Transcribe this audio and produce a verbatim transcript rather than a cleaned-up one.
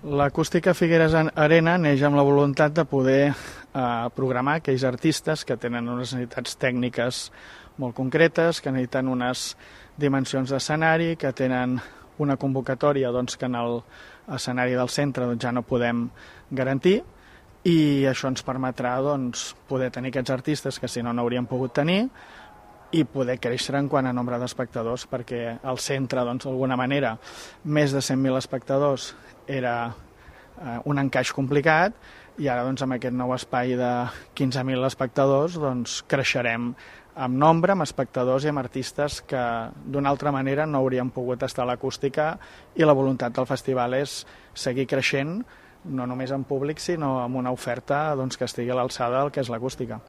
L'Acústica Figueres Arena neix amb la voluntat de poder eh, programar aquells artistes que tenen unes necessitats tècniques molt concretes, que necessiten unes dimensions d'escenari, que tenen una convocatòria doncs, que en l'escenari del centre doncs, ja no podem garantir, i això ens permetrà doncs, poder tenir aquests artistes que si no n'hauríem pogut tenir i poder créixer en quant a nombre d'espectadors, perquè el centre, doncs, d'alguna manera, més de cent mil espectadors era eh, un encaix complicat, i ara doncs, amb aquest nou espai de quinze mil espectadors doncs, creixerem amb nombre, amb espectadors i amb artistes que d'una altra manera no haurien pogut estar a l'Acústica, i la voluntat del festival és seguir creixent no només en públic, sinó amb una oferta doncs, que estigui a l'alçada del que és l'Acústica.